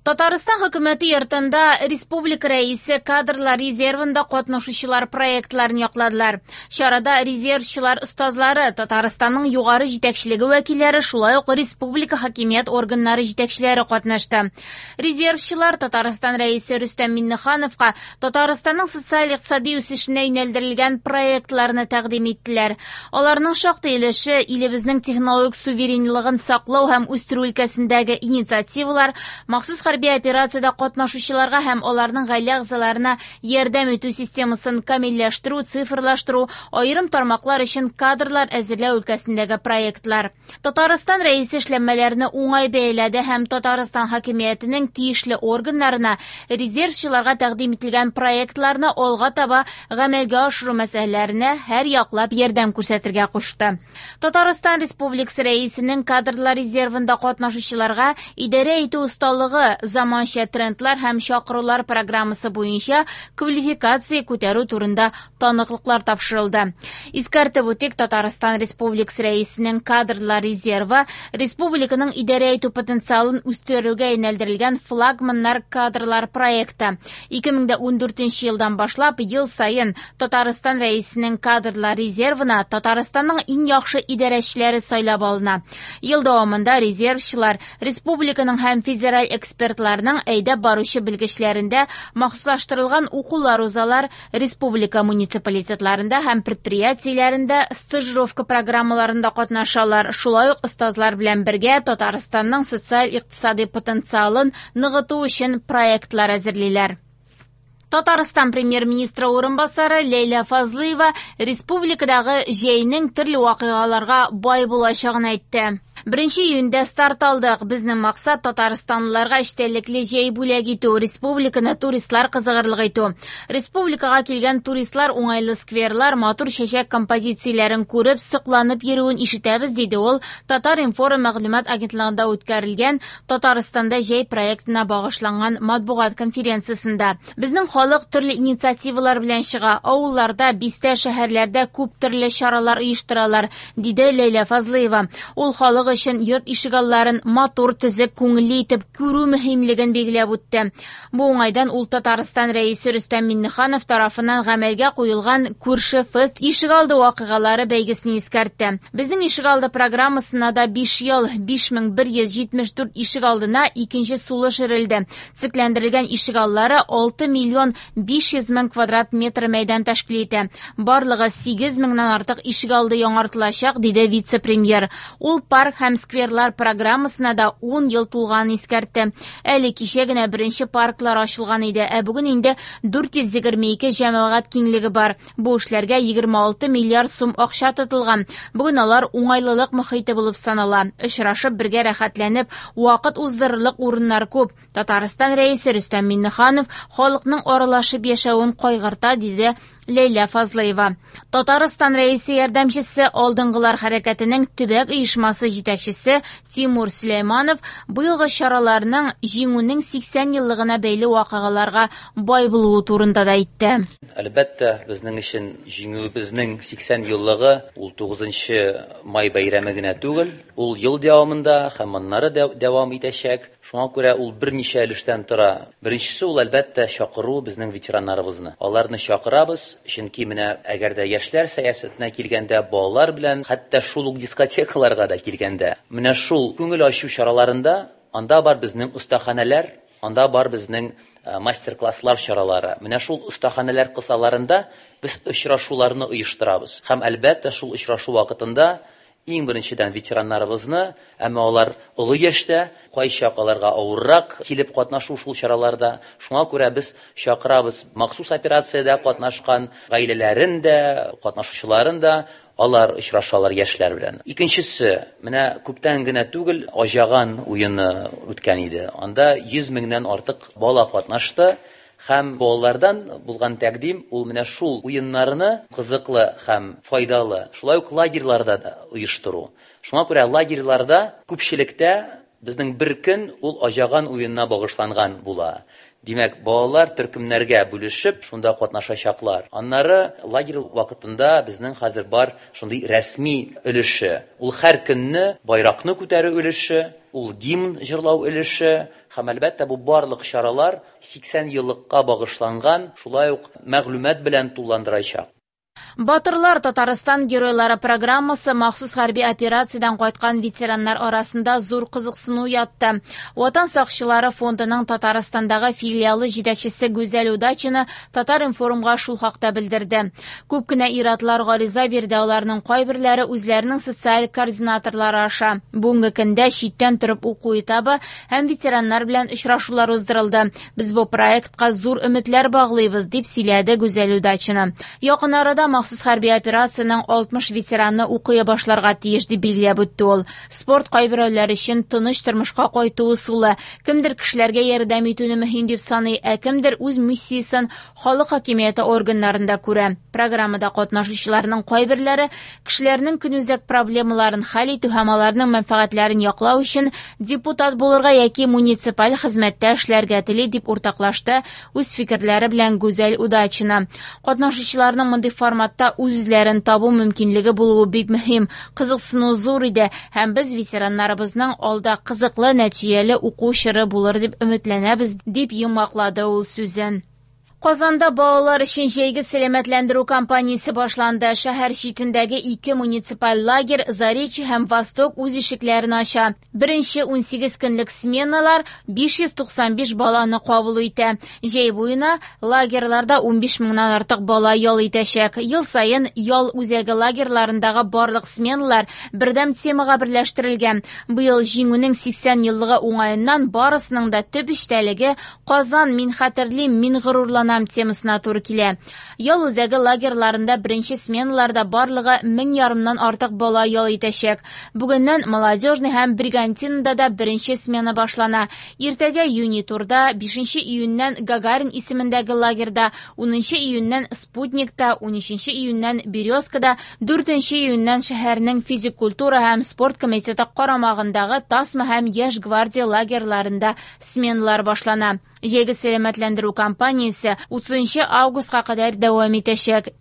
Татарстан Хөкүмәте йортында республика Рәисе кадрлар резервында катнашучылар проектларын якладылар. Чарада резервчылар остазлары, Татарстанның югары җитәкчелеге вәкилләре, шулай ук республика хакимият органнары җитәкчеләре катнашты. Резервчылар Татарстан Рәисе Рөстәм Миңнехановка Татарстанның социаль-икътисади үсешенә юнәлдерелгән проектларны тәкъдим иттеләр. Аларның шактый өлеше илебезнең технологик суверенлыгын саклау һәм үстерү өлкәсендәге инициативалар, махсус хәрби операциядә катнашучыларга һәм аларның гаилә әгъзаларына ярдәм итү системасын камилләштерү, цифрлаштыру, аерым тармаклар өчен кадрлар әзерләү өлкәсендәге проектлар. Татарстан Рәисе эшләнмәләрне уңай бәяләде һәм Татарстан хакимиятенең тиешле органнарына резервчыларга тәкъдим ителгән проектларны алга таба гамәлгә ашыру мәсьәләләренә һәрьяклап ярдәм күрсәтергә кушты. Татарстан Республикасы Рәисенең кадрлар резервында катнашучыларга идарә итү осталыгы, заманча трендлар һәм чакырулар программасы буенча квалификация күтәрү турында таныклыклар тапшырылды. Искәртеп үтик, Татарстан Республикасы Рәисенең кадрлар резервы республиканың идарә итү потенциалын үстерүгә юнәлдерелгән флагманнар кадрлар проекты. 2014 елдан башлап ел саен Татарстан Рәисенең кадрлар резервына Татарстанның иң яхшы идарәчеләре сайлап алына. Ел дәвамында резервчылар республиканың һәм федераль экспертларның әйдәп баручы белгечләрендә махсуслаштырылган укулар узалар, республика муниципалитетларында һәм предприятиеләрендә стажировка программаларында катнашалар. Шулай ук остазлар белән бергә Татарстанның социаль-икътисади потенциалын ныгыту өчен проектлар әзерлиләр. Татарстан премьер-министры урынбасары Ләйлә Фазлыева республикадагы җәйнең төрле вакыйгаларга бай булачагын әйтте. 1 июньдә старт алдык. Безнең максат татарстанлыларга эчтәлекле җәй бүләк итү, республиканы туристлар кызыгырлык итү. Республикага килгән туристлар уңайлы скверлар, матур чәчәк композицияләрен күреп, сокланып йөрүен ишетәбез, диде ул Татар-информ мәгълүмат агентлыгында үткәрелгән Татарстанда җәй проектына багышланган матбугат конференциясендә. Безнең халык төрле инициативалар белән чыга. Авылларда, бистә, шәһәрләрдә күп төрле чаралар оештыралар, диде Ләйлә Фазлыева. Ул халык өчен йорт ишегалларын матур, төзек, күңелле итеп күрү мөһимлеген билгеләп үтте. Бу уңайдан ул Татарстан Рәисе Рөстәм Миңнеханов тарафыннан гамәлгә куелган Күрше фест ишегалды вакыйгалары бәйгесен искәртте. Безнең ишегалды программасына да 5 ел, 5174 ишегалдына икенче сулыш өрелде. Төзекләндерелгән ишегаллары 6 миллион 500 мең квадрат метр мәйдан тәшкил итә. Барлыгы 8 меңнән артык ишегалды яңартылачак, диде вице-премьер. Ул парк һәм скверлар программасына да 10 ел тулганын искәртте. Әле кичә генә беренче парклар ачылган иде, ә бүген инде 422 җәмәгать киңлеге бар. Бу эшләргә 26 миллиард сум акча тотылган. Бүген алар уңайлылык мохите булып санала. Очрашып, бергә рәхәтләнеп, вакыт уздырырлык урыннар күп. Татарстан Рәисе Рөстәм Миңнеханов халыкның аралашып яшәвен кайгырта, диде Ләйлә Фазлыева. Татарстан Рәисе ярдәмчесе, Алдынгылар хәрәкәтенең төбәк оешмасы җитәкчесе Тимур Сөләйманов быелгы чараларның Җиңүнең 80 еллыгына бәйле вакыйгаларга бай булуы турында да әйтте. Әлбәттә, безнең өчен Җиңүебезнең 80 еллыгы ул 9 май бәйрәме генә түгел, ул ел дәвамында һәм аннары дәвам итәчәк. Шуңа күрә ул берничә өлештән тора. Беренчесе ул, әлбәттә, чакыру безнең ветераннарыбызны. Аларны чакырабыз, чөнки менә әгәр дә яшьләр сәясәтенә килгәндә, балалар белән, хәтта шул ук дискотекаларга да килгәндә, менә шул күңел ачу чараларында анда бар безнең остаханәләр, анда бар безнең мастер-класслар чаралары. Менә шул остаханәләр кысаларында без очрашуларны оештырабыз. Һәм, әлбәттә, шул очрашу вакытында иң беренчедән ветераннарыбызны, әмма алар олы яшьтә, кайчак аларга авыррак килеп катнашу шул чараларда. Шуңа күрә без чакырабыз махсус операциядә катнашкан гаиләләрен дә, катнашучыларын да, алар очрашалар яшьләр белән. Икенчесе, менә күптән генә түгел Аҗаган уены үткән иде. Анда 100 меңнән артык бала катнашты. Һәм балалардан булган тәкъдим ул менә шул уеннарны кызыклы һәм файдалы, шулай ук лагерьларда да оештыру. Шуңа күрә лагерьларда күпчелектә безнең бер көн ул Аҗаган уенына багышланган була. Димәк, балалар төркемнәргә бүлешеп, шунда катнашачаклар. Аннары лагерь вакытында безнең хәзер бар шундый рәсми өлеше. Ул һәр көнне байракны күтәрү өлеше. ул гимн җырлау өлеше һәм, әлбәттә, бу барлык чаралар 80 еллыкка багышланган, шулай ук мәгълүмат белән тулыландырачак. Батырлар Татарстан геройлары программасы махсус хәрби операциядән кайткан ветераннар арасында зур кызыксыну уятты. Ватан сакчылары фондының Татарстандагы филиалы җитәкчесе Гүзәл Удачина Татар-информга шул хакта белдерде. Күп кенә ир-атлар гариза бирде, аларның кайберләре үзләренең социаль координаторлары аша. Бүгенге көндә читтән торып уку этабы һәм ветераннар белән очрашулар уздырылды. Без бу проектка зур өметләр баглыйбыз, дип сөйләде Гүзәл Удачина. Якын арада махсус хәрби операциянең 60 ветераны укый башларга тиеш, дип билгеләп үтте ул. Спорт кайберәүләр өчен тыныч тормышка кайту ысулы. Кемдер кешеләргә ярдәм итүне мөһим дип саный, ә кемдер үз миссиясен халык хакимияте органнарында күрә. Программада катнашучыларның кайберләре кешеләрнең көнүзәк проблемаларын хәл итү һәм аларның мәнфәгатьләрен яклау өчен депутат булырга яки муниципаль хезмәттә эшләргә тели, дип уртаклашты үз фикерләре белән Гүзәл Удачина. Катнашучыларның мондый форматта үз-үзләрен табу мөмкинлеге булуы бик мөһим. Кызыксыну зур иде һәм без ветераннарыбызның алда кызыклы, нәтиҗәле уку чоры булыр дип өметләнәбез, дип йомгаклады ул сүзен. Казанда балалар өчен җәйге сәламәтләндерү кампаниясе башланды. Шәһәр читендәге ике муниципаль лагерь Заречье һәм Восток үз ишекләрен ача. Беренче 18 көнлек сменалар 595 баланы кабул итә. Җәй буена лагерьларда 15 меңнән артык бала ял итәчәк. Ел саен ял үзәге лагерьларындагы барлык сменалар бердәм темага берләштерелгән. Быел Җиңүнең 80 еллыгы уңаеннан барысының да төп эчтәлеге Казан, мин хәтерлим, мин горурланам темасына туры килә. Ял үзәге лагерьларында беренче сменаларда барлыгы 1500 артык бала ял итәчәк. Бүгеннән Молодежный һәм Бригантинада да беренче смена башлана. Иртәгә Юнитурда, 5 июньнән Гагарин исемендәге лагерьда, 10 июньнән Спутникта, 13 июньнән Березкада, 4 июньнән шәһәрнең физик культура һәм спорт комитеты карамагындагы Тасма һәм Яшь гвардия лагерьларында сменалар башлана. Җәйге сәламәтләндерү кампаниясе 30 августка кадәр дәвам итәчәк.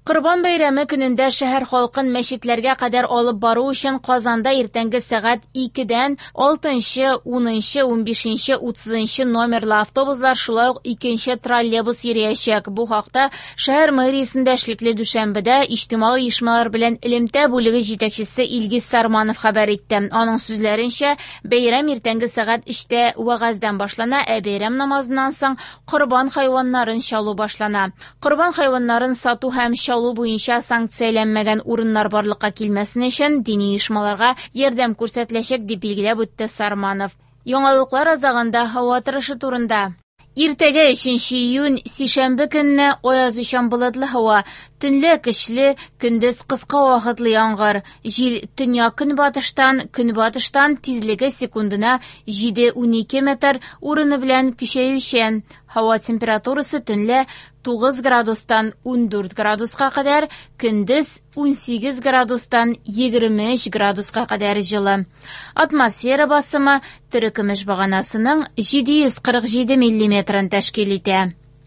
Корбан бәйрәме көнендә шәһәр халкын мәчетләргә кадәр алып бару өчен Казанда иртәнге сәгать 2-дән 6, 10, 15, 30 номерлы автобуслар, шулай ук 2 троллейбус йөриячәк. Бу хакта шәһәр мэриясендә эшлекле дүшәмбедә иҗтимагый оешмалар белән элемтә бүлеге җитәкчесе Илгиз Сарманов хәбәр итте. Аның сүзләренчә, бәйрәм иртәнге сәгать 3-тә вәгазьдән башлана, ә бәйрәм намазыннан соң корбан хайваннарын чалу башлана. Корбан хайваннарын сату һәм чалу буенча санкцияләнмәгән урыннар барлыкка килмәсен өчен дини оешмаларга ярдәм күрсәтеләчәк, дип билгеләп үтте Сарманов. Яңалыклар азагында һава торышы турында. Иртәгә 3 июнь сишәмбе көнне аязучан болытлы һава, төнлә көчле, көндез кыска вакытлы яңгыр. Җил төньяк көнбатыштан, көнбатыштан тизлеге секундына 7-12 метр, урыны белән көчәючән. Һава температурасы төнлә 9 градустан 14 градуска кадәр, көндез 18 градустан 23 градуска кадәр җылы. Атмосфера басымы терекөмеш баганасының 747 миллиметрын тәшкил итә.